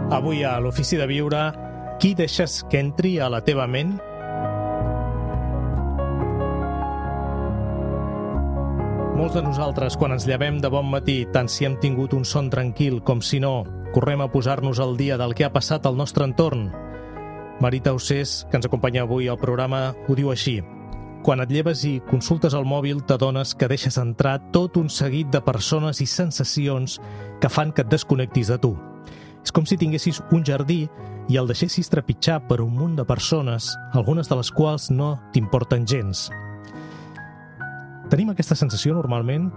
Avui a l'Ofici de Viure, qui deixes que entri a la teva ment? Molts de nosaltres, quan ens llevem de bon matí, tant si hem tingut un son tranquil com si no, correm a posar-nos al dia del que ha passat al nostre entorn. Marita Ossés, que ens acompanya avui al programa, ho diu així. Quan et lleves i consultes el mòbil, t'adones que deixes entrar tot un seguit de persones i sensacions que fan que et desconnectis de tu. És com si tinguessis un jardí i el deixessis trepitjar per un munt de persones, algunes de les quals no t'importen gens. Tenim aquesta sensació normalment?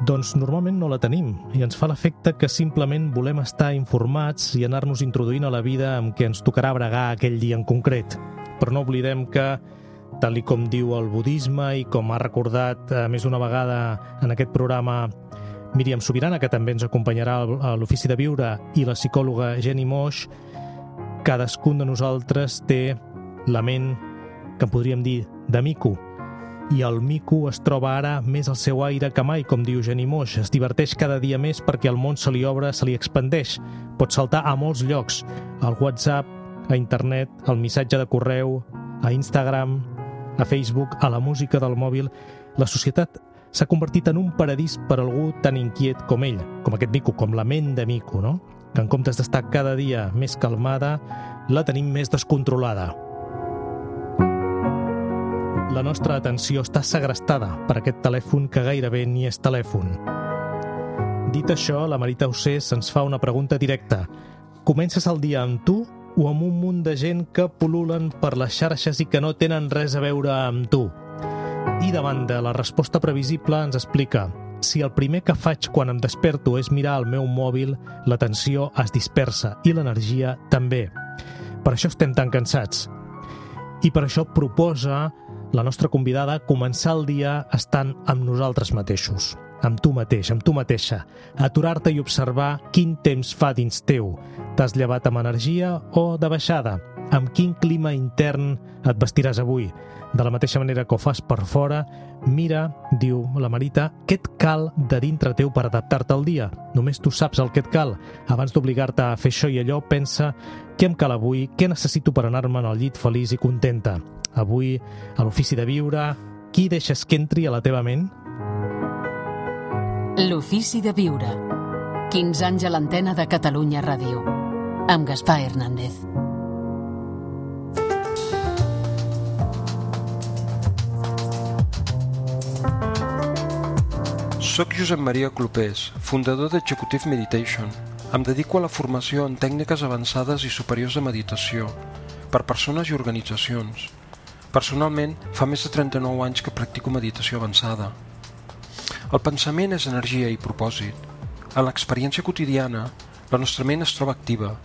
Doncs normalment no la tenim i ens fa l'efecte que simplement volem estar informats i anar-nos introduint a la vida amb què ens tocarà bregar aquell dia en concret. Però no oblidem que, tal com diu el budisme i com ha recordat més d'una vegada en aquest programa Míriam Subirana, que també ens acompanyarà a l'Ofici de Viure, i la psicòloga Jenny Moix, cadascun de nosaltres té la ment que podríem dir de mico. I el mico es troba ara més al seu aire que mai, com diu Jenny Moix. Es diverteix cada dia més perquè el món se li obre, se li expandeix. Pot saltar a molts llocs, al WhatsApp, a internet, al missatge de correu, a Instagram, a Facebook, a la música del mòbil. La societat s'ha convertit en un paradís per algú tan inquiet com ell, com aquest mico, com la ment de mico, no? Que en comptes d'estar cada dia més calmada, la tenim més descontrolada. La nostra atenció està segrestada per aquest telèfon que gairebé ni és telèfon. Dit això, la Marita Ossés ens fa una pregunta directa. Comences el dia amb tu o amb un munt de gent que pul·lulen per les xarxes i que no tenen res a veure amb tu? I davant de la resposta previsible ens explica: si el primer que faig quan em desperto és mirar el meu mòbil, l'atenció es dispersa i l'energia també. Per això estem tan cansats. I per això proposa la nostra convidada començar el dia estant amb nosaltres mateixos, amb tu mateix, amb tu mateixa, aturar-te i observar quin temps fa dins teu. T'has llevat amb energia o de baixada? Amb quin clima intern et vestiràs avui? De la mateixa manera que ho fas per fora, mira, diu la Marita, què et cal de dintre teu per adaptar-te al dia. Només tu saps el que et cal. Abans d'obligar-te a fer això i allò, pensa què em cal avui, què necessito per anar-me'n al llit feliç i contenta. Avui, a l'Ofici de Viure, qui deixes que entri a la teva ment? L'Ofici de Viure. 15 anys a l'antena de Catalunya Ràdio. Amb Gaspar Hernández. Soc Josep Maria Clopés, fundador d'Executive Meditation. Em dedico a la formació en tècniques avançades i superiors de meditació per persones i organitzacions. Personalment, fa més de 39 anys que practico meditació avançada. El pensament és energia i propòsit. En l'experiència quotidiana, la nostra ment es troba activa,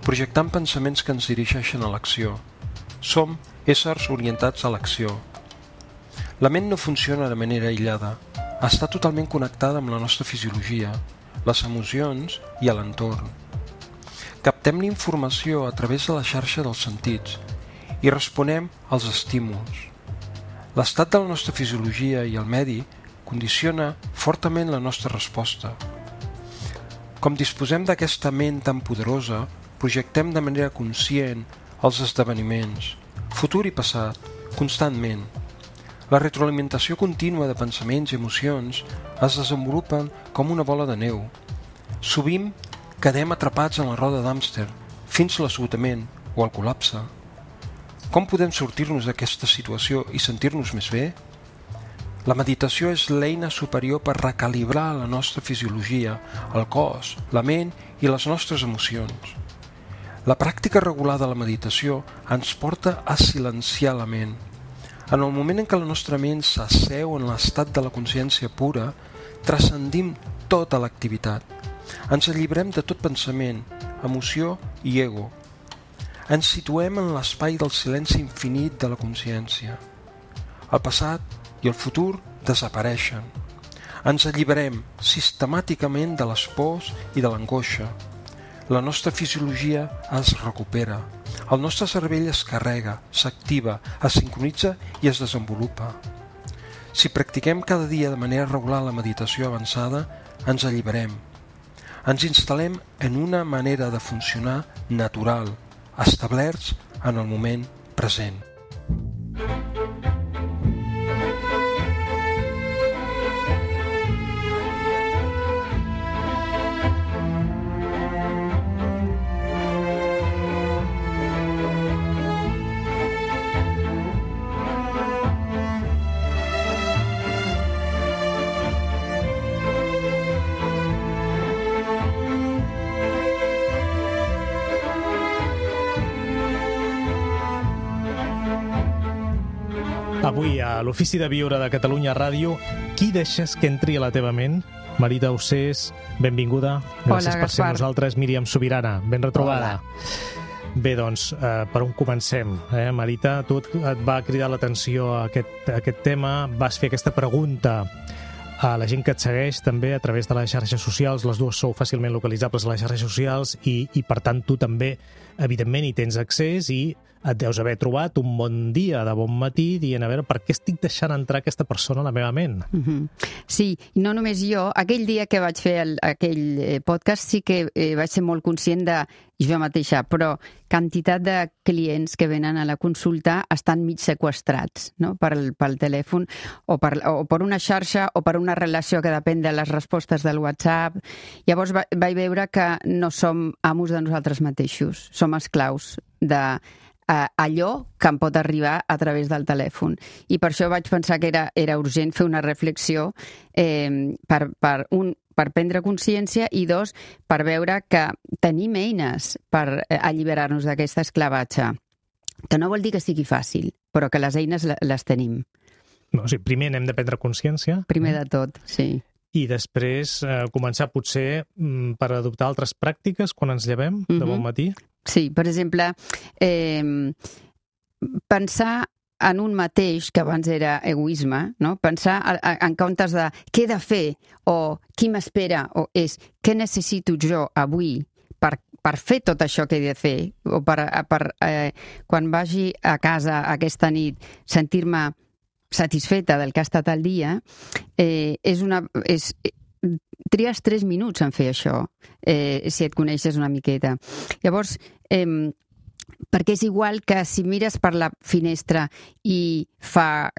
projectant pensaments que ens dirigeixen a l'acció. Som éssers orientats a l'acció. La ment no funciona de manera aïllada. Està totalment connectada amb la nostra fisiologia, les emocions i l'entorn. Captem l'informació a través de la xarxa dels sentits i responem als estímuls. L'estat de la nostra fisiologia i el medi condiciona fortament la nostra resposta. Com disposem d'aquesta ment tan poderosa, projectem de manera conscient els esdeveniments, futur i passat, constantment. La retroalimentació contínua de pensaments i emocions es desenvolupen com una bola de neu. Sovint quedem atrapats en la roda d'hàmster fins a l'esgotament o al col·lapse. Com podem sortir-nos d'aquesta situació i sentir-nos més bé? La meditació és l'eina superior per recalibrar la nostra fisiologia, el cos, la ment i les nostres emocions. La pràctica regular de la meditació ens porta a silenciar la ment. En el moment en què la nostra ment s'asseu en l'estat de la consciència pura, transcendim tota l'activitat. Ens alliberem de tot pensament, emoció i ego. Ens situem en l'espai del silenci infinit de la consciència. El passat i el futur desapareixen. Ens alliberem sistemàticament de les pors i de l'angoixa. La nostra fisiologia es recupera. El nostre cervell es carrega, s'activa, es sincronitza i es desenvolupa. Si practiquem cada dia de manera regular la meditació avançada, ens alliberem. ens instal·lem en una manera de funcionar natural, establerts en el moment present. Avui, a l'Ofici de Viure de Catalunya Ràdio, qui deixes que entri a la teva ment? Marita Ossés, benvinguda. Gràcies per ser amb nosaltres. Míriam Subirana, ben retrobada. Hola. Bé, doncs, per on comencem? Marita, tu et va cridar l'atenció a aquest tema, vas fer aquesta pregunta a la gent que et segueix també a través de les xarxes socials. Les dues sou fàcilment localitzables a les xarxes socials i per tant, tu també, evidentment, hi tens accés i et deus haver trobat un bon dia de bon matí dient, a veure, per què estic deixant entrar aquesta persona a la meva ment? Sí, no només jo. Aquell dia que vaig fer aquell podcast sí que vaig ser molt conscient de jo mateixa, però quantitat de clients que venen a la consulta estan mig seqüestrats, no? pel telèfon o per una xarxa o per una relació que depèn de les respostes del WhatsApp. Llavors vaig veure que no som amos de nosaltres mateixos, som esclaus de allò que em pot arribar a través del telèfon. I per això vaig pensar que era urgent fer una reflexió per prendre consciència i dos, per veure que tenim eines per alliberar-nos d'aquesta esclavatge. Que no vol dir que sigui fàcil, però que les eines les tenim. No, sí, primer n'hem de prendre consciència. Primer de tot, sí. I després començar potser per adoptar altres pràctiques quan ens llevem de bon matí? Sí, per exemple, pensar en un mateix, que abans era egoisme, no? Pensar en comptes de què he de fer o qui m'espera o és què necessito jo avui per fer tot això que he de fer o quan vagi a casa aquesta nit sentir-me satisfeta del que ha estat el dia, tries 3 minuts en fer això, si et coneixes una miqueta. Llavors, perquè és igual que si mires per la finestra i fa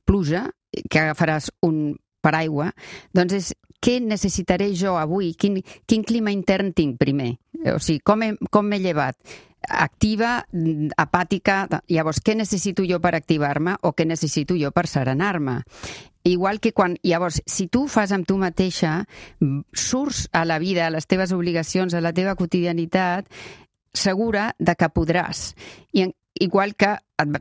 pluja, que agafaràs un paraigua, doncs és què necessitaré jo avui? Quin clima intern tinc primer? O sigui, com m'he llevat? Activa, apàtica, llavors què necessito jo per activar-me o què necessito jo per serenar-me? Igual que llavors, si tu fas amb tu mateixa, surts a la vida, a les teves obligacions, a la teva quotidianitat, segura de que podràs. Igual que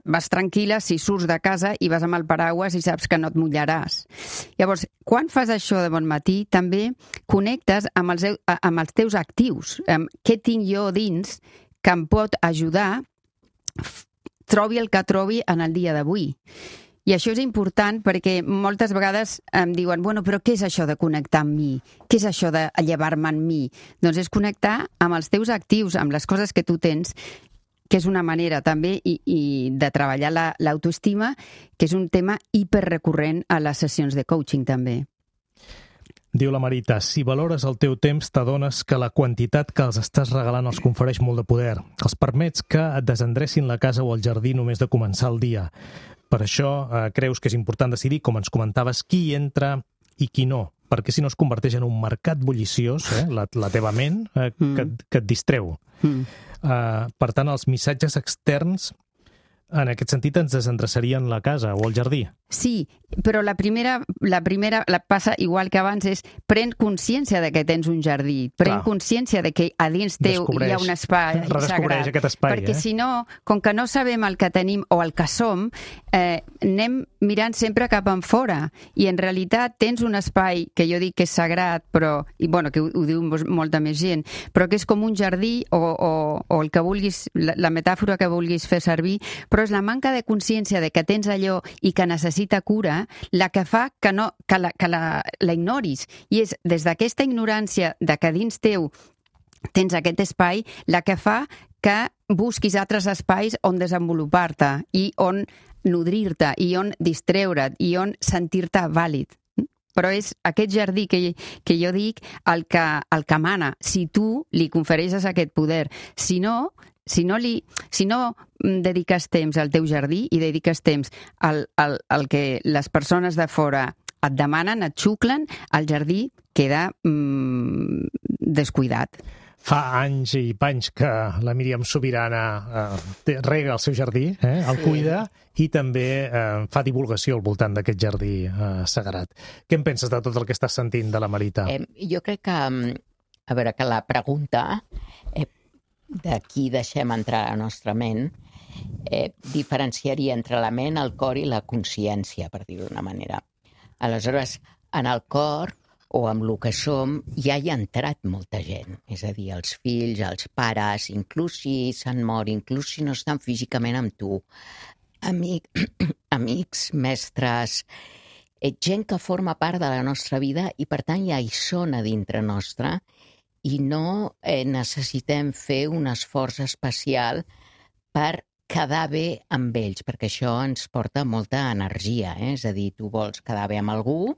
vas tranquil·la si surts de casa i vas amb el paraigües i saps que no et mullaràs. Llavors, quan fas això de bon matí, també connectes amb els teus actius. Què tinc jo dins que em pot ajudar, trobi el que trobi en el dia d'avui. I això és important perquè moltes vegades em diuen, bueno, però què és això de connectar amb mi? Què és això de llevar-me en mi? Doncs és connectar amb els teus actius, amb les coses que tu tens, que és una manera també de treballar l'autoestima, que és un tema hiperrecurrent a les sessions de coaching també. Diu la Marita, si valores el teu temps, t'adones que la quantitat que els estàs regalant els confereix molt de poder. Els permets que et desendrecin la casa o el jardí només de començar el dia. Per això creus que és important decidir, com ens comentaves, qui entra i qui no, perquè si no es converteix en un mercat bulliciós, la teva ment, que et distreu. Per tant, els missatges externs, en aquest sentit, ens desendreçarien la casa o el jardí. Sí, però la primera passa igual que abans, és pren consciència de que tens un jardí, pren consciència de que a dins teu hi ha un espai sagrat. Aquest espai, perquè si no, com que no sabem el que tenim o el que som, anem mirant sempre cap en fora i en realitat tens un espai que jo dic que és sagrat, però, i bueno, que ho diu molta més gent, però que és com un jardí o el que vulguis, la metàfora que vulguis fer servir, però és la manca de consciència de que tens allò i que necessita cura la que fa que la ignoris. I és des d'aquesta ignorància de que dins teu tens aquest espai la que fa que busquis altres espais on desenvolupar-te i on nodrir-te i on distreure't i on sentir-te vàlid. però és aquest jardí que jo dic el que mana, si tu li confereixes aquest poder. Si no dediques temps al teu jardí i dediques temps al que les persones de fora et demanen, et xuclen, el jardí queda descuidat. Fa anys i panys que la Míriam Subirana rega el seu jardí, el cuida i també fa divulgació al voltant d'aquest jardí sagrat. Què en penses de tot el que estàs sentint de la Marita? Jo crec que, a veure, que la pregunta de qui deixem entrar a la nostra ment diferenciaria entre la ment, el cor i la consciència, per dir-ho d'una manera. Aleshores, en el cor o amb el que som, ja hi ha entrat molta gent. És a dir, els fills, els pares, inclús si s'han mort, inclús si no estan físicament amb tu, amics, mestres, gent que forma part de la nostra vida i, per tant, ja hi són a dintre nostra i no necessitem fer un esforç especial per quedar bé amb ells, perquè això ens porta molta energia. És a dir, tu vols quedar bé amb algú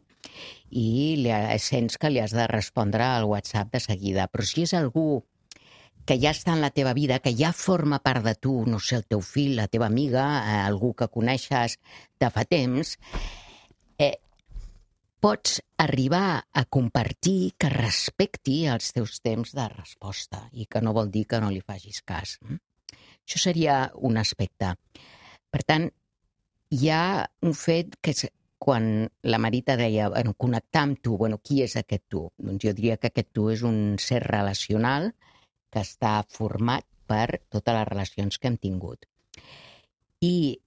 i sents que li has de respondre al WhatsApp de seguida. Però si és algú que ja està en la teva vida, que ja forma part de tu, no sé, el teu fill, la teva amiga, algú que coneixes de fa temps, pots arribar a compartir que respecti els teus temps de resposta i que no vol dir que no li facis cas. Això seria un aspecte. Per tant, hi ha un fet que és quan la Marita deia connectar amb tu, qui és aquest tu? Doncs jo diria que aquest tu és un ser relacional que està format per totes les relacions que hem tingut. I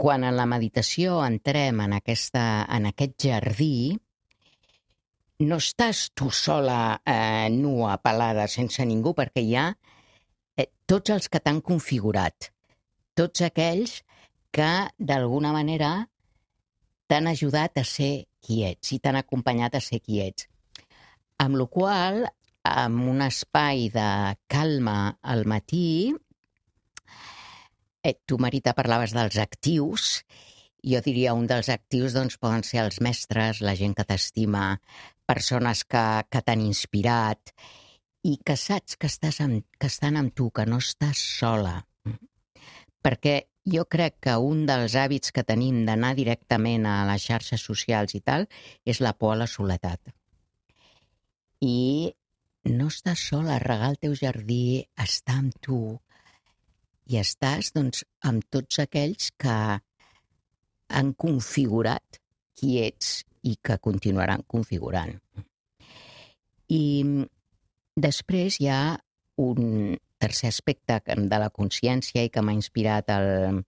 quan en la meditació entrem en aquest jardí, no estàs tu sola, nua, pelada, sense ningú, perquè hi ha tots els que t'han configurat, tots aquells que d'alguna manera t'han ajudat a ser qui ets i t'han acompanyat a ser qui ets. Amb la qual cosa, amb un espai de calma al matí, tu, Marita, parlaves dels actius. Jo diria un dels actius poden ser els mestres, la gent que t'estima, persones que t'han inspirat i que saps que estan amb tu, que no estàs sola. Perquè jo crec que un dels hàbits que tenim d'anar directament a les xarxes socials i tal és la por a la soledat. I no estàs sola, regar el teu jardí, estar amb tu i estàs amb tots aquells que han configurat qui ets i que continuaran configurant. I després hi ha un tercer aspecte de la consciència i que m'ha inspirat el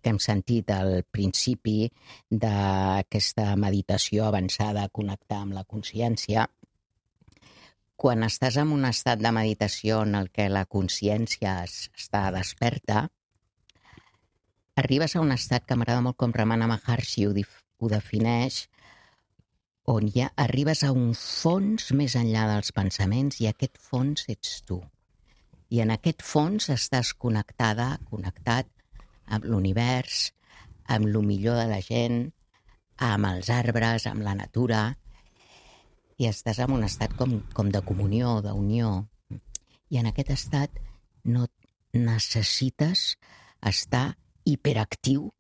que hem sentit al principi d'aquesta meditació avançada, connectar amb la consciència. Quan estàs en un estat de meditació en el que la consciència està desperta, arribes a un estat que m'agrada molt com Ramana Maharshi ho defineix, on ja arribes a un fons més enllà dels pensaments i aquest fons ets tu. I en aquest fons estàs connectat amb l'univers, amb el millor de la gent, amb els arbres, amb la natura, i estàs en un estat com de comunió, d'unió. I en aquest estat no necessites estar hiperactiu,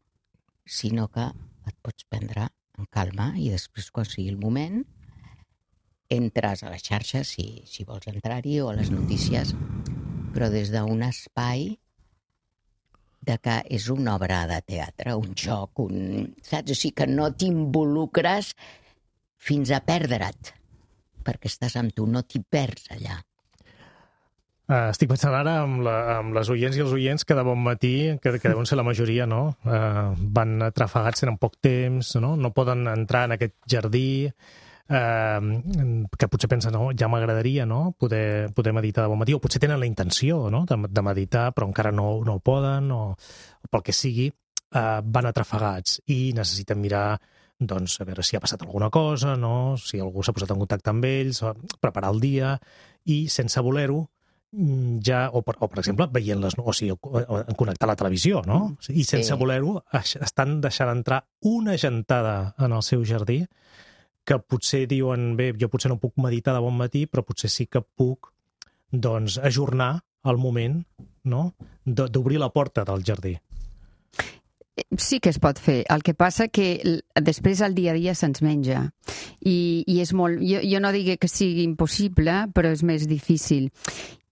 sinó que et pots prendre en calma i després, quan sigui el moment, entres a les xarxes, si vols entrar-hi, o a les notícies, però des d'un espai de que és una obra de teatre, un joc, saps? O sigui, que no t'involucres fins a perdre't, perquè estàs amb tu, no t'hi perds allà. Estic pensant ara amb les oients i els oients que de bon matí, que deuen ser la majoria, no? Van atrafegats, tenen poc temps, no poden entrar en aquest jardí, que potser pensen, ja m'agradaria poder meditar de bon matí, o potser tenen la intenció de meditar, però encara no ho poden, o pel que sigui, van atrafegats i necessiten mirar a veure si ha passat alguna cosa, si algú s'ha posat en contacte amb ells, preparar el dia, i sense voler-ho, o per exemple, veient en connectar la televisió, i sense voler-ho estan deixant entrar una gentada en el seu jardí que potser diuen, bé, jo potser no puc meditar de bon matí, però potser sí que puc doncs, ajornar el moment, no?, d'obrir la porta del jardí. Sí que es pot fer. El que passa que després el dia a dia se'ns menja. I és molt... Jo no digui que sigui impossible, però és més difícil.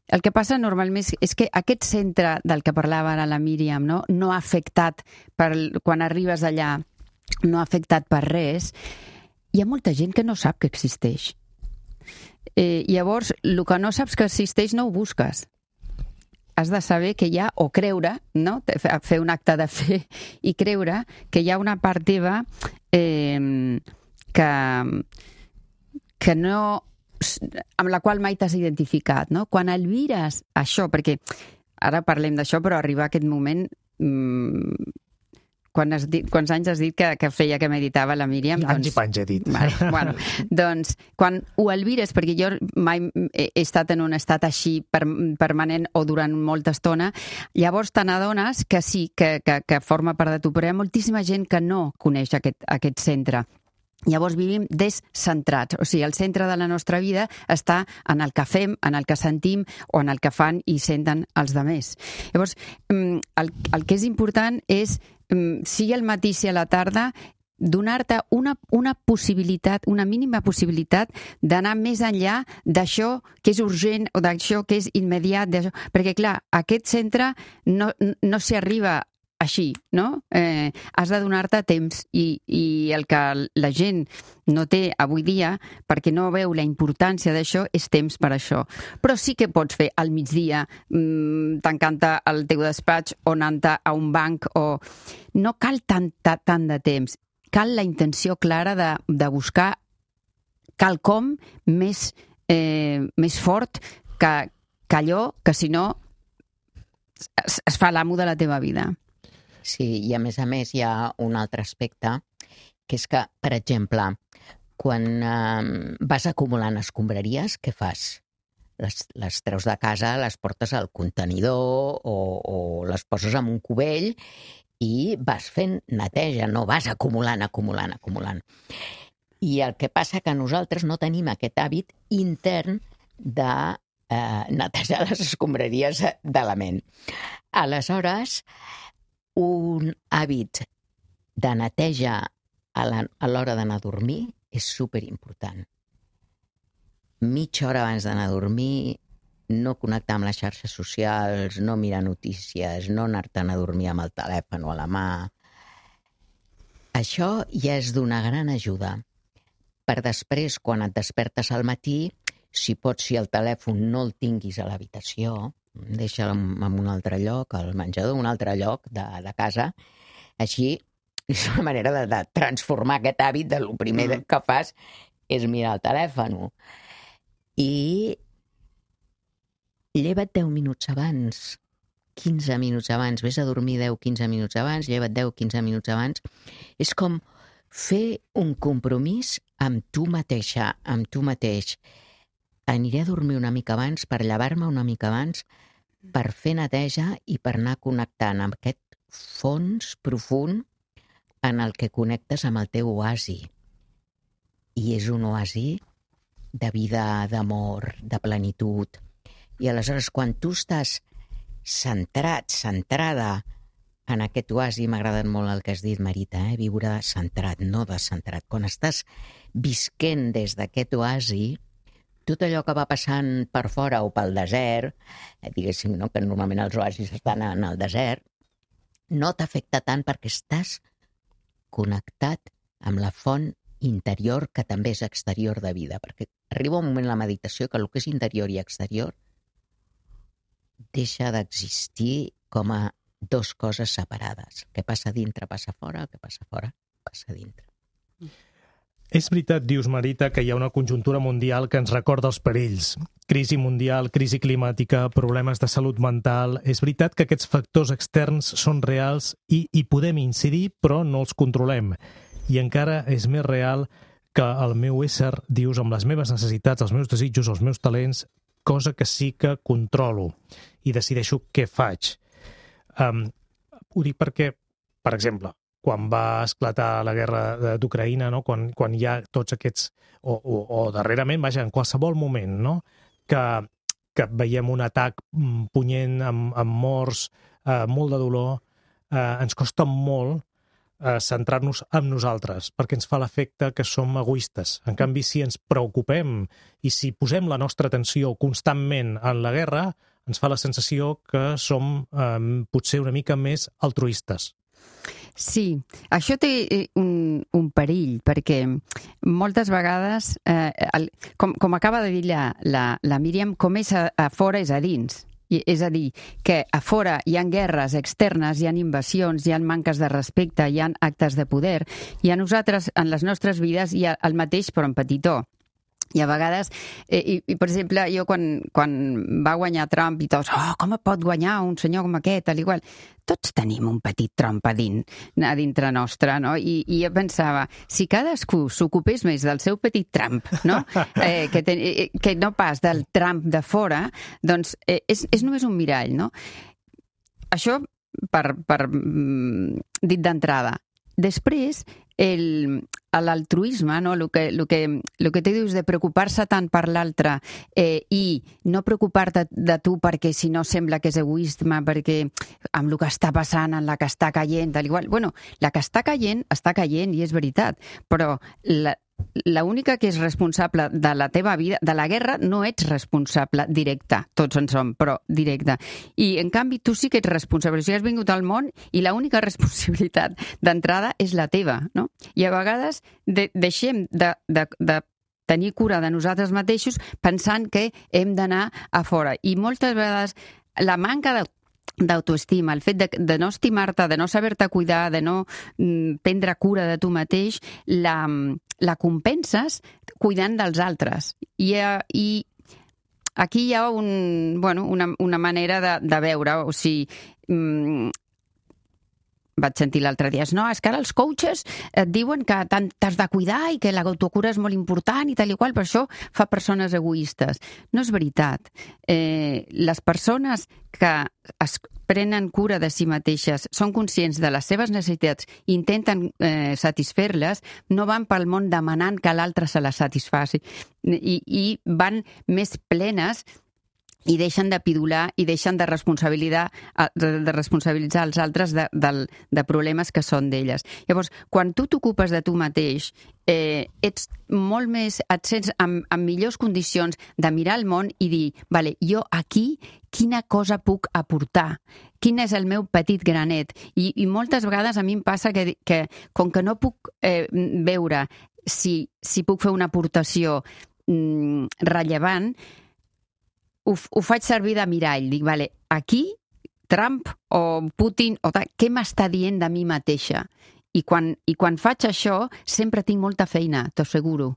El que passa normalment és que aquest centre del que parlava ara la Míriam, no ha afectat, quan arribes allà, no ha afectat per res. Hi ha molta gent que no sap que existeix. Llavors, el que no saps que existeix no ho busques. Has de saber que hi ha, o creure, no? Fer un acte de fe i creure que hi ha una part teva que no, amb la qual mai t'has identificat, no? Quan albires això, perquè ara parlem d'això, però arriba aquest moment... Quants anys has dit que feia que meditava la Míriam? Anys i panys he dit. Bueno, doncs, quan ho albires, perquè jo mai he estat en un estat així permanent o durant molta estona, llavors te n'adones que sí, que forma part de tu, però hi ha moltíssima gent que no coneix aquest centre. Llavors vivim descentrats, o sigui, el centre de la nostra vida està en el que fem, en el que sentim o en el que fan i senten els altres. Llavors, el que és important és, sigui al matí, sigui a la tarda, donar-te una possibilitat, una mínima possibilitat d'anar més enllà d'això que és urgent o d'això que és immediat, perquè clar, aquest centre no s'hi arriba així, no? Has de donar-te temps i el que la gent no té avui dia, perquè no veu la importància d'això, és temps per això. Però sí que pots fer al migdia, tancant-te al teu despatx o anant a un banc, o no cal tant de temps. Cal la intenció clara de buscar quelcom més fort que allò que, si no, es fa l'amo de la teva vida. Sí, i a més hi ha un altre aspecte, que és que, per exemple, quan vas acumulant escombraries, què fas? Les treus de casa, les portes al contenidor o les poses en un cubell i vas fent neteja, no vas acumulant. I el que passa que nosaltres no tenim aquest hàbit intern de netejar les escombraries de la ment. Aleshores, un hàbit de neteja a l'hora d'anar a dormir és superimportant. Mitja hora abans d'anar a dormir, no connectar amb les xarxes socials, no mirar notícies, no anar-te'n a dormir amb el telèfon a la mà. Això ja és d'una gran ajuda. Per després, quan et despertes al matí, si pots, si el telèfon no el tinguis a l'habitació, deixa'l en un altre lloc, al menjador, un altre lloc de casa. Així és una manera de transformar aquest hàbit de lo primer que fas és mirar el telèfon. I lleva't 10 minuts abans, 15 minuts abans, vés a dormir 10-15 minuts abans, lleva't 10-15 minuts abans. És com fer un compromís amb tu mateixa, amb tu mateix. Aniré a dormir una mica abans per llevar-me una mica abans, per fer neteja i per anar connectant amb aquest fons profund en el que connectes amb el teu oasi. I és un oasi de vida, d'amor, de plenitud. I aleshores, quan tu estàs centrat, centrada en aquest oasi, m'ha agradat molt el que has dit, Marita, viure centrat, no descentrat. Quan estàs visquent des d'aquest oasi, tot allò que va passant per fora o pel desert, diguéssim, no, que normalment els oasis estan en el desert, no t'afecta tant perquè estàs connectat amb la font interior que també és exterior de vida, perquè arriba un moment en la meditació que el que és interior i exterior deixa d'existir com a dues coses separades. El que passa dintre passa fora, el que passa fora passa dintre. És veritat, dius, Marita, que hi ha una conjuntura mundial que ens recorda els perills. Crisi mundial, crisi climàtica, problemes de salut mental... És veritat que aquests factors externs són reals i hi podem incidir, però no els controlem. I encara és més real que el meu ésser, dius, amb les meves necessitats, els meus desitjos, els meus talents, cosa que sí que controlo i decideixo què faig. Ho dic perquè, per exemple, quan va esclatar la guerra d'Ucraïna, no? Quan hi ha tots aquests... O darrerament, vaja, en qualsevol moment, no? Que veiem un atac punyent amb morts, molt de dolor, ens costa molt centrar-nos en nosaltres, perquè ens fa l'efecte que som egoistes. En canvi, si ens preocupem i si posem la nostra atenció constantment en la guerra, ens fa la sensació que som potser una mica més altruistes. Sí, això té un perill, perquè moltes vegades, com acaba de dir la Míriam, com és a fora és a dins. És a dir, que a fora hi ha guerres externes, hi ha invasions, hi ha manques de respecte, hi ha actes de poder, i a nosaltres, en les nostres vides, hi ha el mateix però en petitó. I a vegades, per exemple, jo quan va guanyar Trump i tots, com pot guanyar un senyor com aquest, tal i qual, tots tenim un petit Trump a dintre nostre, no? I jo pensava, si cadascú s'ocupés més del seu petit Trump, no? Que no pas del Trump de fora, doncs és només un mirall, no? Això per dit d'entrada. Després, l'altruisme, no? El que tu dius de preocupar-se tant per l'altre i no preocupar-te de tu perquè si no sembla que és egoisme, perquè amb el que està passant, en la que està caient, tal igual. Bueno, la que està caient i és veritat, però l'única que és responsable de la teva vida, de la guerra, no ets responsable directe, tots en som, però directe. I, en canvi, tu sí que ets responsable. O sigui, has vingut al món i l'única responsabilitat d'entrada és la teva, no? I a vegades deixem de tenir cura de nosaltres mateixos pensant que hem d'anar a fora. I moltes vegades la manca d'autoestima, el fet de no estimar-te, de no saber-te cuidar, de no prendre cura de tu mateix, la compenses cuidant dels altres. I aquí hi ha una manera de veure, o sigui, vaig sentir l'altre dia, no, és que ara els coaches et diuen que t'has de cuidar i que l'autocura és molt important i tal i qual, per això fa persones egoistes. No és veritat. Les persones que es prenen cura de si mateixes, són conscients de les seves necessitats i intenten satisfer-les, no van pel món demanant que l'altre se les satisfaci i van més plenes i deixen de pidolar i deixen de responsabilitzar els altres de problemes que són d'elles. Llavors, quan tu t'ocupes de tu mateix, ets molt més, et sents en millors condicions de mirar el món i dir, vale, jo aquí quina cosa puc aportar? Quin és el meu petit granet? I moltes vegades a mi em passa que com que no puc veure si puc fer una aportació rellevant, ho faig servir de mirall. Dic, vale, aquí, Trump o Putin, què m'està dient de mi mateixa? I quan faig això, sempre tinc molta feina, t'ho asseguro.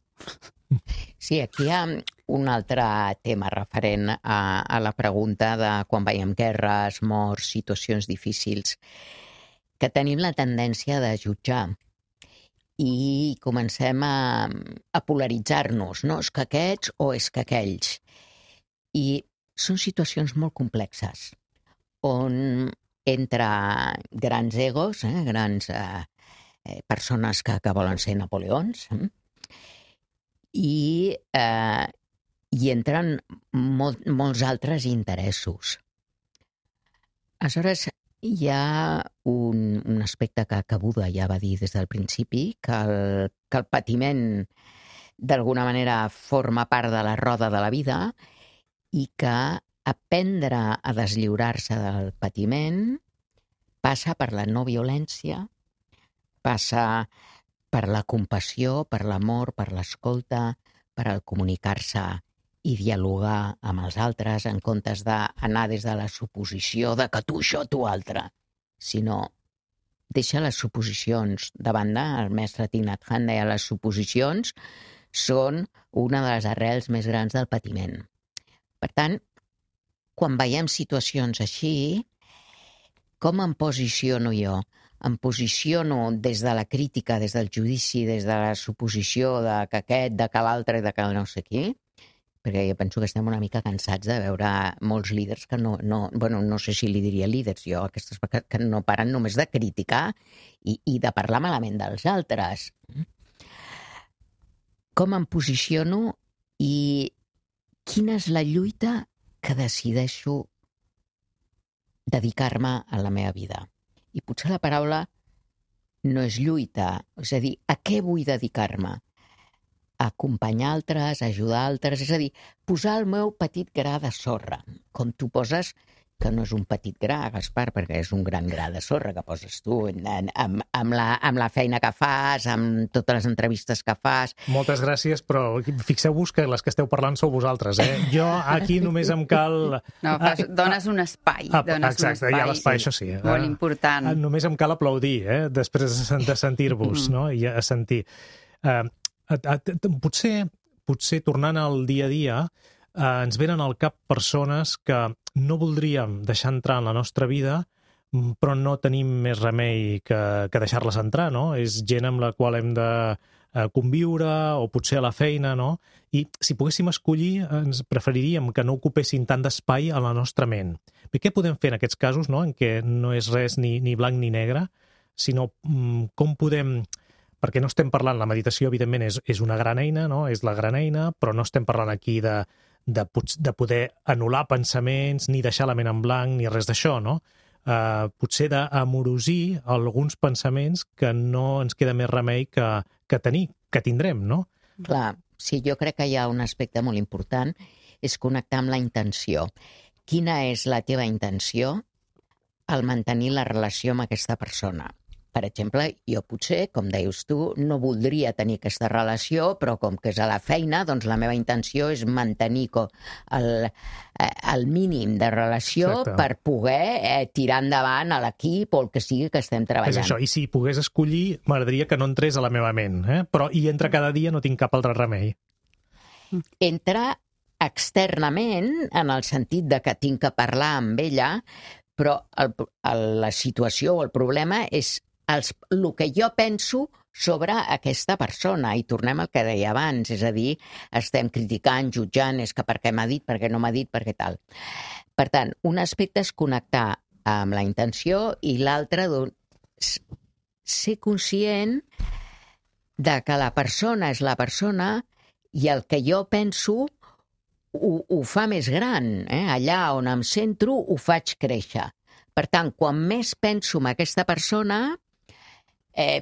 Sí, aquí hi ha un altre tema referent a la pregunta de quan veiem guerres, morts, situacions difícils, que tenim la tendència de jutjar i comencem a polaritzar-nos, no? És que aquests o és que aquells. I són situacions molt complexes, on entre grans egos, grans persones que volen ser Napoleons, i entren molts altres interessos. Aleshores, hi ha un aspecte que Buda ja va dir des del principi, que el patiment d'alguna manera forma part de la roda de la vida i que aprendre a deslliurar-se del patiment passa per la no violència, passa per la compassió, per l'amor, per l'escolta, per el comunicar-se i dialogar amb els altres en comptes d'anar des de la suposició de que tu això, tu altre, sinó deixa les suposicions de banda. El mestre Thich Nhat Hanh deia les suposicions són una de les arrels més grans del patiment. Per tant, quan veiem situacions així, com em posiciono jo? Em posiciono des de la crítica, des del judici, des de la suposició de que aquest, de que l'altre i de que no sé qui, perquè jo penso que estem una mica cansats de veure molts líders que no sé si li diria líders, jo, aquestes que no paren només de criticar i de parlar malament dels altres. Com em posiciono i quina és la lluita que decideixo dedicar-me a la meva vida? I potser la paraula no és lluita, és a dir, a què vull dedicar-me? Acompanyar altres, ajudar altres, és a dir, posar el meu petit gra de sorra, com tu poses, que no és un petit gra, Gaspar, perquè és un gran gra de sorra que poses tu amb la feina que fas, amb totes les entrevistes que fas. Moltes gràcies, però fixeu-vos que les que esteu parlant sou vosaltres, Jo aquí només em cal... No, dones un espai. Exacte, hi ha l'espai, això sí. Molt important. Només em cal aplaudir, després de sentir-vos, no? I a sentir. Potser tornant al dia a dia, ens venen al cap persones que no voldríem deixar entrar en la nostra vida, però no tenim més remei que deixar-les entrar, no? És gent amb la qual hem de conviure, o potser a la feina, no? I si poguéssim escollir, ens preferiríem que no ocupessin tant d'espai a la nostra ment. Bé, què podem fer en aquests casos, no? En què no és res ni blanc ni negre, sinó com podem... Perquè no estem parlant, la meditació, evidentment, és una gran eina, no? És la gran eina, però no estem parlant aquí de poder anul·lar pensaments, ni deixar la ment en blanc, ni res d'això, no? Potser d'amorosir alguns pensaments que no ens queda més remei que tindrem, no? Clar, sí, jo crec que hi ha un aspecte molt important, és connectar amb la intenció. Quina és la teva intenció al mantenir la relació amb aquesta persona? Per exemple, jo potser, com deies tu, no voldria tenir aquesta relació, però com que és a la feina, doncs la meva intenció és mantenir el mínim de relació. Exacte. Per poder tirar endavant a l'equip o el que sigui que estem treballant. És això, i si pogués escollir, m'agradaria que no entrés a la meva ment, però hi entra cada dia, no tinc cap altre remei. Entra externament, en el sentit de que tinc que parlar amb ella, però la situació o el problema és el que jo penso sobre aquesta persona, i tornem al que deia abans, és a dir, estem criticant, jutjant, és que per què m'ha dit, per què no m'ha dit, per què tal. Per tant, un aspecte és connectar amb la intenció i l'altre, doncs, ser conscient de que la persona és la persona i el que jo penso ho fa més gran. Allà on em centro ho faig créixer. Per tant, quan més penso en aquesta persona,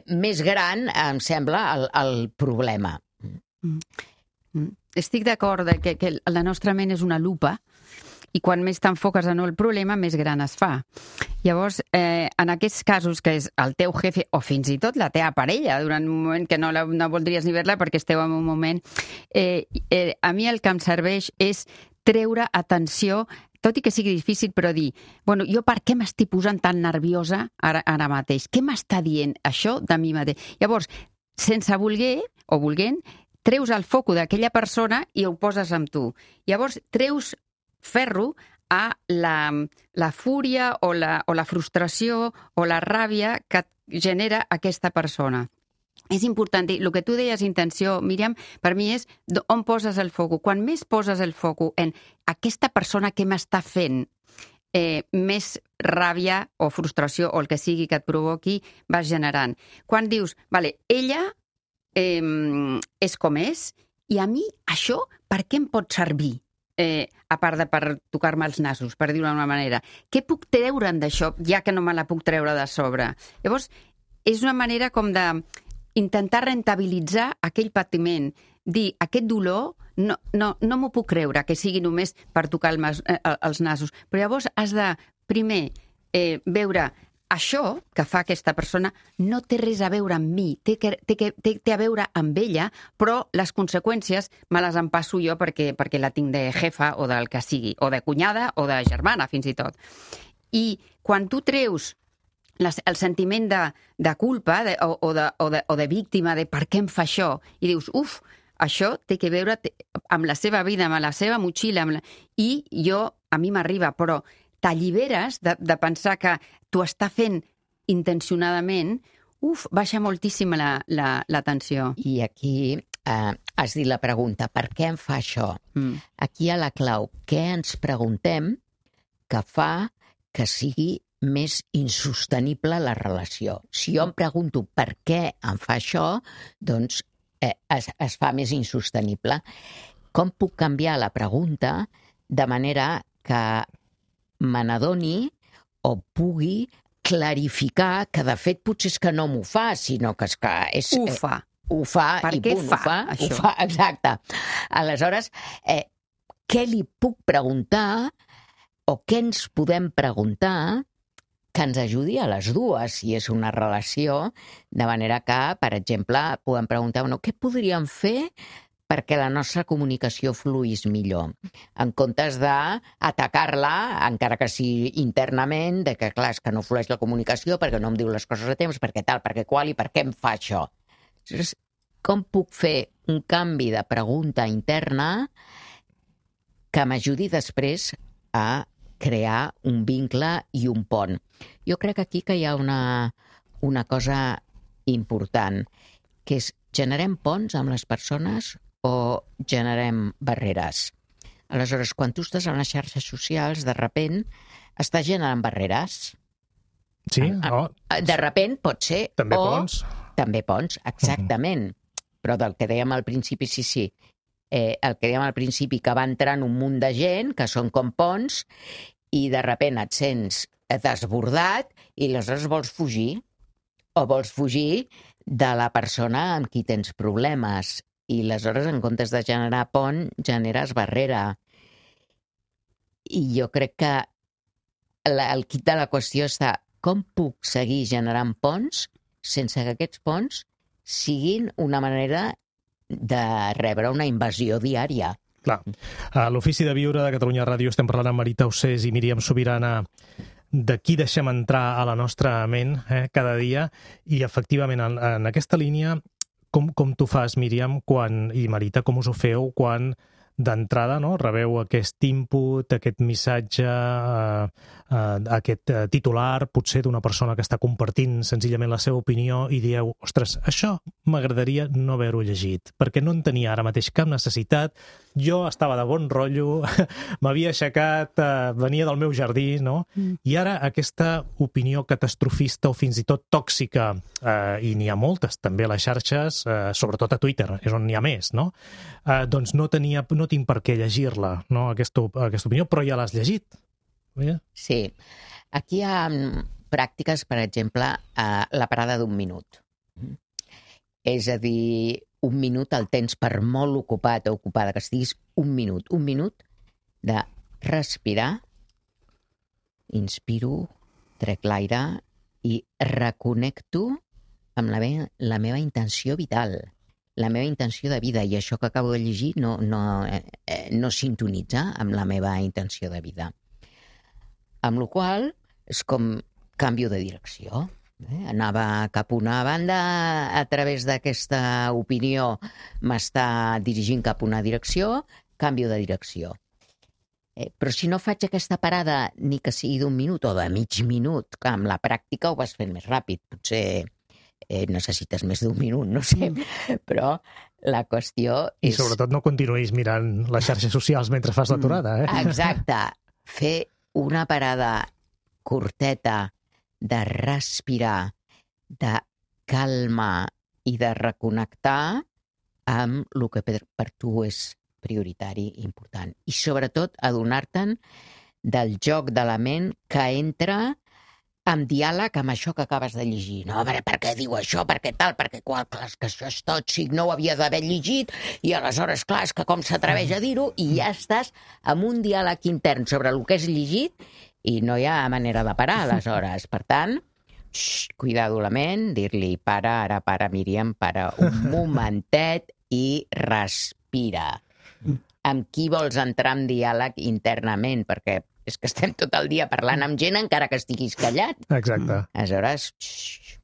més gran em sembla el problema. Estic d'acord que la nostra ment és una lupa i quan més t'enfoques en el problema, més gran es fa. Llavors, en aquests casos, que és el teu jefe o fins i tot la teva parella, durant un moment que no voldries ni veure perquè esteu en un moment... a mi el que em serveix és treure atenció, tot i que sigui difícil, però dir, bueno, jo per què m'estic posant tan nerviosa ara mateix? Què m'està dient això de mi mateix? Llavors, sense voler o volent, treus el foco d'aquella persona i ho poses amb tu. Llavors, treus ferro a la fúria o la frustració o la ràbia que genera aquesta persona. És important dir, el que tu deies, intenció, Míriam, per mi és on poses el foco. Quan més poses el foco en aquesta persona que m'està fent més ràbia o frustració o el que sigui que et provoqui, vas generant. Quan dius, vale, ella és com és i a mi això per què em pot servir? A part de per tocar-me els nassos, per dir-ho d'una manera. Què puc treure'n d'això, ja que no me la puc treure de sobre? Llavors, és una manera com de intentar rentabilitzar aquell patiment, dir, aquest dolor no m'ho puc creure, que sigui només per tocar els nassos. Però llavors has de, primer, veure això que fa aquesta persona no té res a veure amb mi, té a veure amb ella, però les conseqüències me les empasso jo perquè la tinc de jefa o del que sigui, o de cunyada o de germana, fins i tot. I quan tu treus el sentiment de culpa o de víctima, de per què em fa això, i dius, això té que veure amb la seva vida, amb la seva motxilla, i a mi m'arriba, però t'alliberes de pensar que t'ho està fent intencionadament, baixa moltíssim la tensió. I aquí has dit la pregunta, per què em fa això? Aquí hi ha la clau. Què ens preguntem que fa que sigui més insostenible la relació? Si jo em pregunto per què em fa això, doncs es fa més insostenible. Com puc canviar la pregunta de manera que me n'adoni o pugui clarificar que, de fet, potser és que no m'ho fa, sinó que és que... Ho fa per i què punt, això? ho fa, exacte. Aleshores, què li puc preguntar o què ens podem preguntar que ens ajudi a les dues, si és una relació, de manera que, per exemple, podem preguntar, què podríem fer perquè la nostra comunicació fluís millor, en comptes d'atacar-la, encara que sigui internament, de que, clar, és que no flueix la comunicació perquè no em diu les coses a temps, perquè tal, perquè qual i per què em fa això. Com puc fer un canvi de pregunta interna que m'ajudi després a crear un vincle i un pont? Jo crec aquí que hi ha una cosa important, que és generem ponts amb les persones o generem barreres. Aleshores, quan tu estàs en les xarxes socials, de repent estàs generant barreres. Sí? De repent pot ser... També ponts? També ponts, exactament. Però del que dèiem al principi, sí. El que dèiem al principi, que va entrant un munt de gent, que són com ponts, i de repent et sents desbordat i aleshores vols fugir. O vols fugir de la persona amb qui tens problemes. I aleshores, en comptes de generar pont, generes barrera. I jo crec que el quid de la qüestió està com puc seguir generant ponts sense que aquests ponts siguin una manera de rebre una invasió diària. Clar. A l'Ofici de Viure de Catalunya Ràdio estem parlant amb Marita Ossés i Míriam Sobirana de qui deixem entrar a la nostra ment cada dia, i efectivament en aquesta línia com tu fas, Míriam, i Marita, com us ho feu quan d'entrada rebeu aquest input, aquest missatge, aquest titular, potser d'una persona que està compartint senzillament la seva opinió, i dieu, ostres, això m'agradaria no haver-ho llegit, perquè no en tenia ara mateix cap necessitat, jo estava de bon rotllo, m'havia aixecat, venia del meu jardí, no? I ara aquesta opinió catastrofista o fins i tot tòxica, i n'hi ha moltes també a les xarxes, sobretot a Twitter, és on n'hi ha més, no? Doncs no tinc per què llegir-la, no? Aquesta opinió, però ja l'has llegit. Sí. Aquí hi ha pràctiques, per exemple, la parada d'1 minut. És a dir, 1 minut el tens per molt ocupat o ocupada que estiguis, 1 minut de respirar, inspiro, trec l'aire i reconnecto amb la meva intenció vital, la meva intenció de vida, i això que acabo de llegir no sintonitza amb la meva intenció de vida. Amb la qual cosa és com canvio de direcció. Anava cap a una banda, a través d'aquesta opinió m'està dirigint cap a una direcció, canvio de direcció. Però si no faig aquesta parada, ni que sigui d'1 minut o de mig minut, que amb la pràctica ho vas fent més ràpid, potser necessites més d'1 minut, no sé, però la qüestió és... I sobretot no continuïs mirant les xarxes socials mentre fas l'aturada, Exacte. Fer una parada curteta de respirar, de calma i de reconnectar amb el que per tu és prioritari i important. I sobretot adonar-te'n del joc de la ment que entra en diàleg amb això que acabes de llegir. No, a veure, per què diu això, per què tal, per què qual, clar, és que això és tòxic, no ho havia d'haver llegit, i aleshores, clar, és que com s'atreveix a dir-ho, i ja estàs amb un diàleg intern sobre el que has llegit, i no hi ha manera de parar, aleshores. Per tant, cuidado la ment, dir-li, ara para, Míriam, para un momentet i respira. Amb qui vols entrar en diàleg internament? Perquè és que estem tot el dia parlant amb gent encara que estiguis callat. Exacte. Aleshores,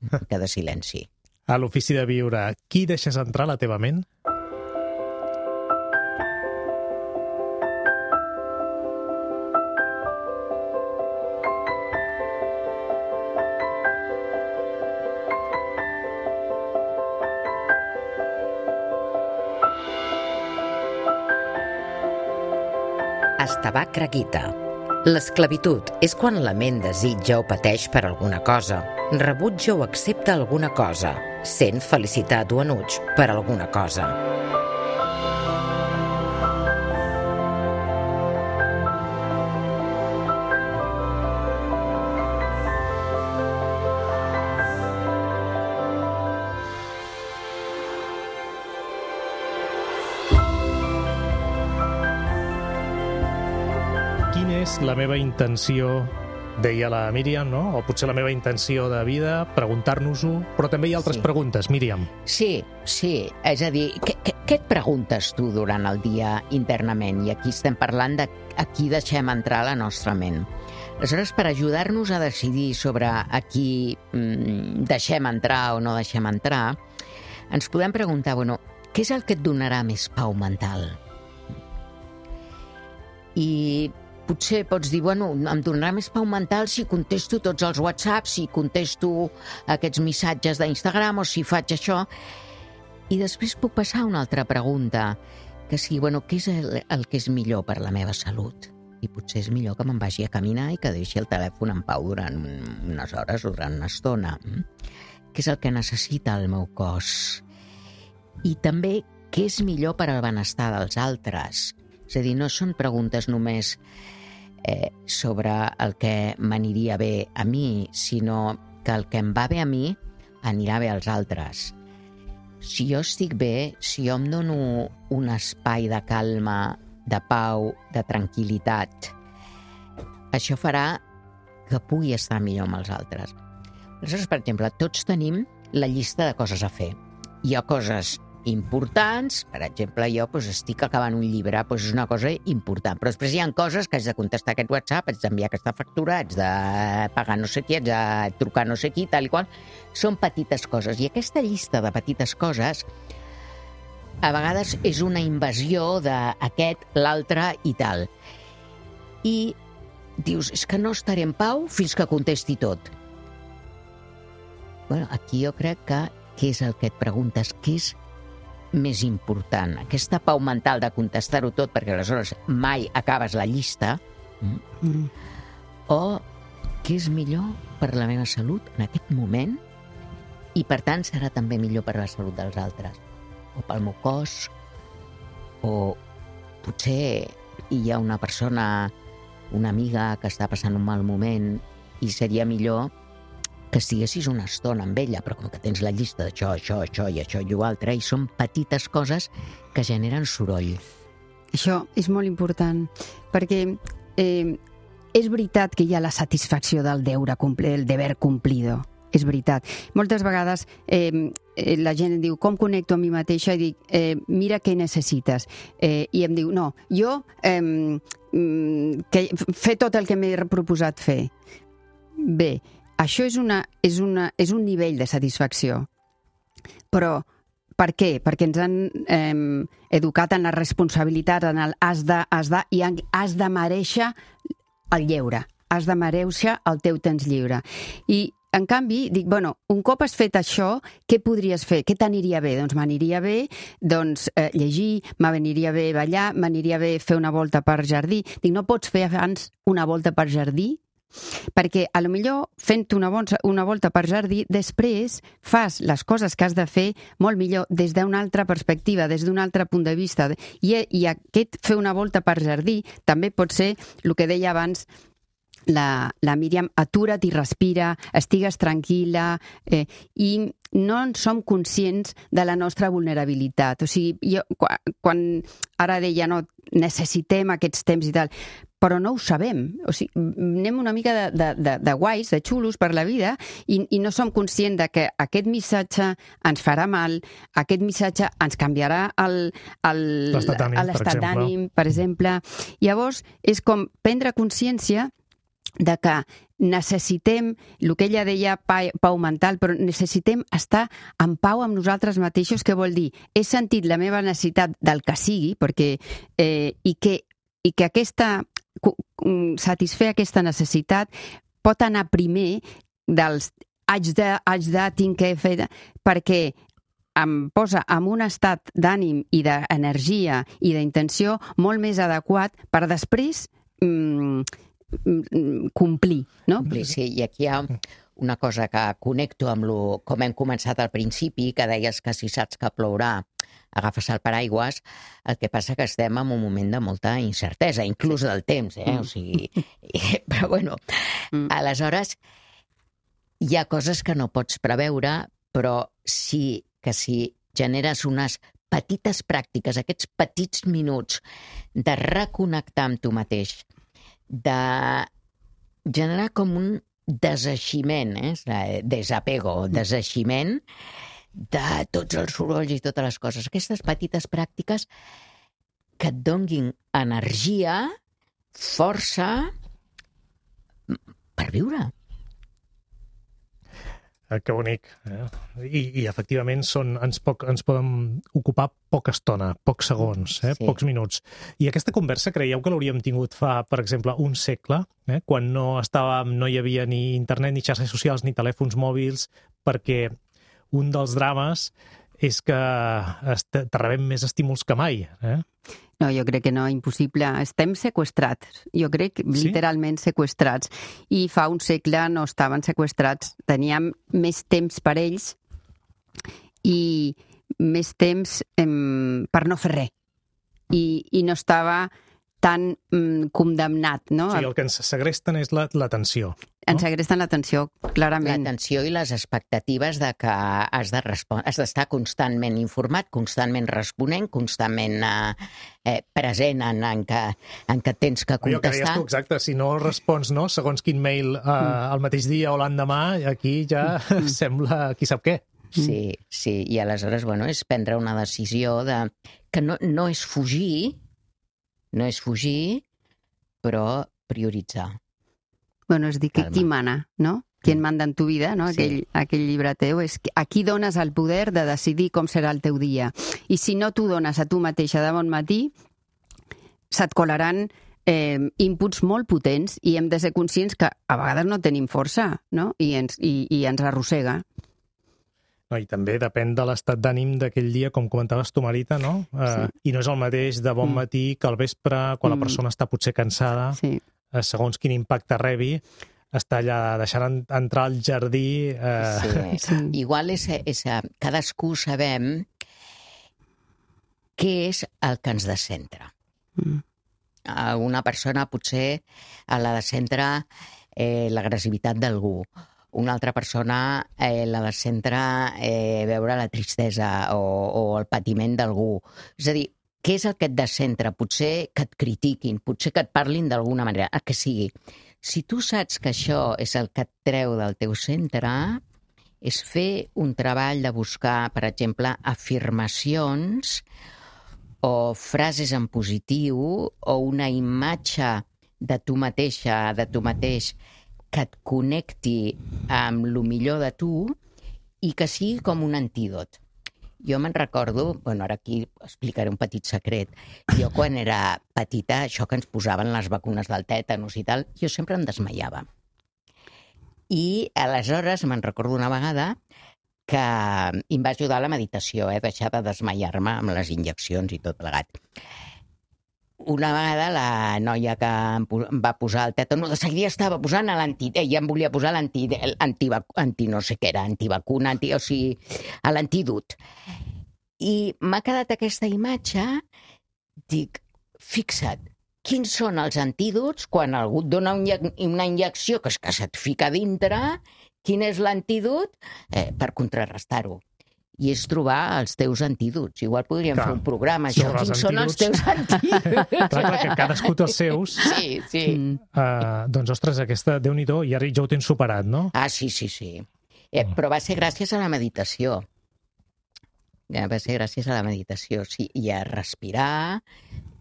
mica de silenci. A l'Ofici de Viure, qui deixes entrar a la teva ment? Estevar Craguita. L'esclavitud és quan la ment desitja o pateix per alguna cosa, rebutja o accepta alguna cosa, sent felicitat o enuig per alguna cosa. Quina és la meva intenció, deia la Míriam, no? O potser la meva intenció de vida, preguntar-nos-ho, però també hi ha altres preguntes, Míriam. Sí, és a dir, què et preguntes tu durant el dia internament? I aquí estem parlant de a qui deixem entrar a la nostra ment. Aleshores, per ajudar-nos a decidir sobre a qui deixem entrar o no deixem entrar, ens podem preguntar, què és el que et donarà més pau mental? I potser pots dir, em donarà més pau mental si contesto tots els whatsapps, si contesto aquests missatges d'Instagram o si faig això. I després puc passar a una altra pregunta, que sigui, què és el que és millor per la meva salut? I potser és millor que me'n vagi a caminar i que deixi el telèfon en pau durant unes hores o durant una estona. Què és el que necessita el meu cos? I també, què és millor per al benestar dels altres? És a dir, no són preguntes només sobre el que m'aniria bé a mi, sinó que el que em va bé a mi anirà bé als altres. Si jo estic bé, si jo em dono un espai de calma, de pau, de tranquil·litat, això farà que pugui estar millor amb els altres. Aleshores, per exemple, tots tenim la llista de coses a fer. Hi ha coses importants, per exemple, jo estic acabant un llibre, és una cosa important, però després hi ha coses que haig de contestar aquest WhatsApp, haig d'enviar aquesta factura, haig de pagar no sé qui, haig de trucar no sé qui, tal i qual. Són petites coses, i aquesta llista de petites coses a vegades és una invasió d'aquest, l'altre i tal. I dius, és que no estaré en pau fins que contesti tot. Aquí jo crec que què és el que et preguntes, què és més important, aquesta pau mental de contestar-ho tot, perquè aleshores mai acabes la llista, o què és millor per la meva salut en aquest moment i per tant serà també millor per la salut dels altres, o pel meu cos, o potser hi ha una persona, una amiga que està passant un mal moment i seria millor que estiguessis una estona amb ella, però com que tens la llista d'això, això i l'altre, i són petites coses que generen soroll. Això és molt important, perquè és veritat que hi ha la satisfacció del deber cumplido. És veritat. Moltes vegades la gent em diu, com connecto amb mi mateixa? I dic, mira què necessites. I em diu, no, jo fer tot el que m'he proposat fer. Bé, això és un nivell de satisfacció. Però per què? Perquè ens han educat en la responsabilitat, en el has de, i has de mereixer el lleure. Has de mereixer el teu temps lliure. I en canvi, dic, un cop has fet això, què podries fer? Què t'aniria bé? Doncs m'aniria bé llegir, m'aniria bé ballar, m'aniria bé fer una volta per jardí. Dic, no pots fer abans una volta per jardí? Perquè a lo millor fent una volta per jardí després fas les coses que has de fer molt millor des d'una altra perspectiva, des d'un altre punt de vista, i aquest fer una volta per jardí també pot ser el que deia abans la Míriam, atura't i respira, estigues tranquil·la, i no en som conscients de la nostra vulnerabilitat. O sigui, quan ara deia, no, necessitem aquests temps i tal, però no ho sabem. O sigui, anem una mica de guais, de xulos per la vida, i no som conscients de que aquest missatge ens farà mal, aquest missatge ens canviarà l'estat d'ànim, per exemple. Llavors, és com prendre consciència de que necessitem, el que ella deia pau mental, però necessitem estar en pau amb nosaltres mateixos, que vol dir, he sentit la meva necessitat del que sigui, perquè i que satisfer aquesta necessitat pot anar primer dels haig de, tinc que fer, perquè em posa en un estat d'ànim i d'energia i d'intenció molt més adequat per després complir, no? Sí, i aquí hi ha una cosa que connecto amb com hem començat al principi, que deies que si saps que plourà, agafes el paraigües, el que passa que estem en un moment de molta incertesa, inclús del temps, o sigui... Però bueno, aleshores hi ha coses que no pots preveure, però sí que si generes unes petites pràctiques, aquests petits minuts de reconnectar amb tu mateix, de generar com un deseiximent, desapego, deseiximent de tots els sorolls i totes les coses. Aquestes petites pràctiques que et donguin energia, força per viure. Que bonic. I efectivament ens poden ocupar poca estona, pocs segons, Sí. pocs minuts. I aquesta conversa creieu que l'hauríem tingut fa, per exemple, un segle, quan no hi havia ni internet, ni xarxes socials, ni telèfons mòbils, perquè un dels drames és que rebem més estímuls que mai. No, jo crec que no, impossible. Estem seqüestrats. Jo crec literalment seqüestrats. I fa un segle no estaven seqüestrats. Teníem més temps per ells i més temps per no fer res. I no estava tan condemnat, no? O sigui, el que ens segresten és l'atenció. Ens segresten l'atenció, clarament. L'atenció i les expectatives de que has d'estar constantment informat, constantment responent, constantment present en què tens que Jo que deies contestar. tu, exacte, si no respons segons quin mail el mateix dia o l'endemà, aquí ja sembla qui sap què. Sí, i aleshores, és prendre una decisió que no és fugir, però prioritzar. És dir, qui mana, no? Qui manda en tu vida, no? Aquell llibre teu, és a qui dones el poder de decidir com serà el teu dia. I si no t'ho dones a tu mateixa de bon matí, se't colaran inputs molt potents i hem de ser conscients que a vegades no tenim força, no? I ens arrossega. No, i també depèn de l'estat d'ànim d'aquell dia, com comentaves tu, Marita, no? I no és el mateix de bon matí que al vespre, quan la persona està potser cansada, segons quin impacte rebi, està allà deixant entrar al jardí... Igual cadascú sabem què és el que ens descentra. Una persona potser la descentra l'agressivitat d'algú. Una altra persona la descentra veure la tristesa o el patiment d'algú. És a dir, què és el que et descentra? Potser que et critiquin, potser que et parlin d'alguna manera, el que sigui. Si tu saps que això és el que et treu del teu centre, és fer un treball de buscar, per exemple, afirmacions o frases en positiu o una imatge de tu mateixa, de tu mateix, que et connecti amb el millor de tu i que sigui com un antídot. Jo me'n recordo, ara aquí explicaré un petit secret, jo quan era petita, això que ens posaven les vacunes del tètanus i tal, jo sempre em desmaiava. I aleshores me'n recordo una vegada que em va ajudar la meditació, deixar de desmaiar-me amb les injeccions i tot plegat. Una vegada la noia que em va posar el tètanus, de seguida estava posant ella em volia posar no sé què era, antivacuna, o sigui, l'antídot. I m'ha quedat aquesta imatge, dic, fixa't, quins són els antídots quan algú et dona una injecció que se't fica dintre, quin és l'antídot per contrarrestar-ho. I és trobar els teus antídots. Igual podríem fer un programa, això. Quins són els teus antídots? Clar, que cadascú té els seus. Sí. Doncs, ostres, aquesta, Déu-n'hi-do, i ara ja ho tens superat, no? Sí. Però va ser gràcies a la meditació. Sí, i a respirar,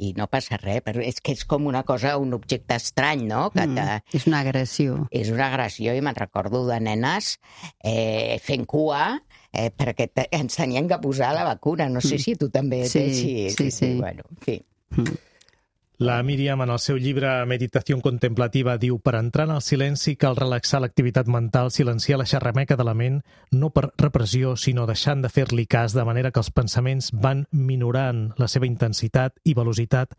i no passa res, però és que és com una cosa, un objecte estrany, no? És una agressió. És una agressió, i me'n recordo de nenes fent cua, perquè ens tenien que posar la vacuna. No sé si tu també... Sí. Bueno, en fi. La Míriam, en el seu llibre Meditació contemplativa, diu: per entrar en el silenci cal relaxar l'activitat mental, silenciar la xerrameca de la ment, no per repressió, sinó deixant de fer-li cas, de manera que els pensaments van minorant la seva intensitat i velocitat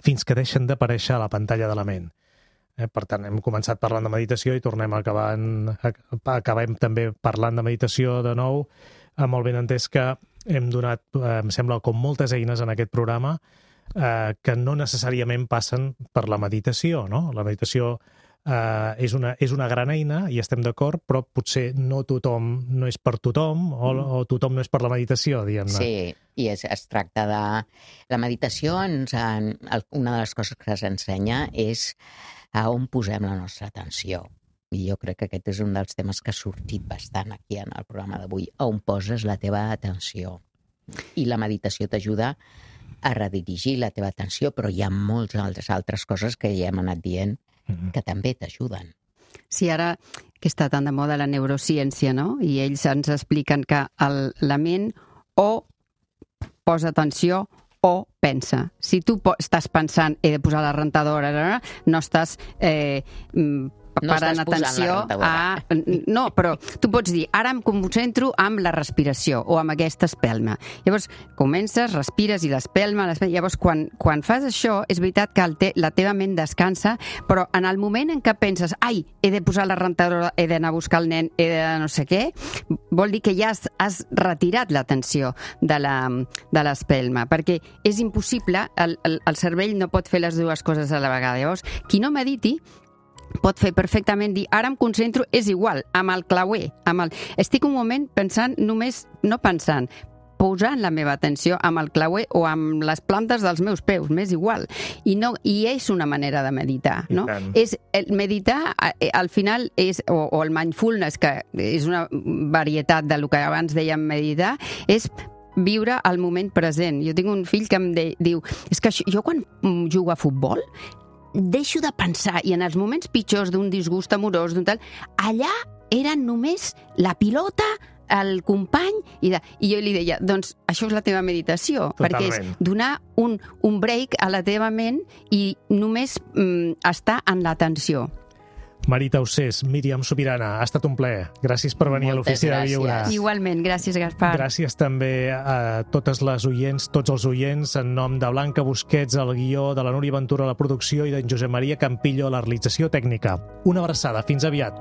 fins que deixen d'aparèixer a la pantalla de la ment. Per tant, hem començat parlant de meditació i acabem també parlant de meditació de nou, amb el benentès que hem donat, em sembla, com moltes eines en aquest programa, que no necessàriament passen per la meditació, no? La meditació és una gran eina, i estem d'acord, però potser no és per tothom, o tothom no és per la meditació, diguem-ne. Sí, i es tracta de... La meditació, una de les coses que s'ensenya és a on posem la nostra atenció. I jo crec que aquest és un dels temes que ha sortit bastant aquí en el programa d'avui. A on poses la teva atenció. I la meditació t'ajuda a redirigir la teva atenció, però hi ha moltes altres coses que ja hem anat dient que també t'ajuden. Sí, ara que està tan de moda la neurociència, no? I ells ens expliquen que la ment o posa atenció o pensa. Si tu estàs pensant he de posar la rentadora, no estàs parant atenció a... No, però tu pots dir, ara em concentro amb la respiració o amb aquesta espelma. Llavors, comences, respires i l'espelma... Llavors, quan fas això, és veritat que la teva ment descansa, però en el moment en què penses, ai, he de posar la rentadora, he d'anar a buscar el nen, he de no sé què, vol dir que ja has retirat l'atenció de l'espelma, perquè és impossible, el cervell no pot fer les dues coses a la vegada. Llavors, qui no mediti pot fer perfectament dir, ara em concentro, és igual, amb el clauer. Estic un moment pensant només, no pensant, posant la meva atenció amb el clauer o amb les plantes dels meus peus, m'és igual. I és una manera de meditar, no? Meditar, al final, o el mindfulness, que és una varietat del que abans dèiem meditar, és viure el moment present. Jo tinc un fill que em diu, és que jo quan jugo a futbol deixo de pensar, i en els moments pitjors d'un disgust amorós, allà eren només la pilota, el company, i jo li deia, doncs això és la teva meditació. Totalment. Perquè és donar un break a la teva ment i només estar en l'atenció. Marita Usés, Míriam Subirana, ha estat un plaer. Gràcies per venir a l'Ofici de Viure. Igualment, gràcies, Gaspar. Gràcies també a totes les oients, tots els oients, en nom de Blanca Busquets, el guió, de la Núria Ventura a la producció i d'en Josep Maria Campillo a la realització tècnica. Una abraçada, fins aviat.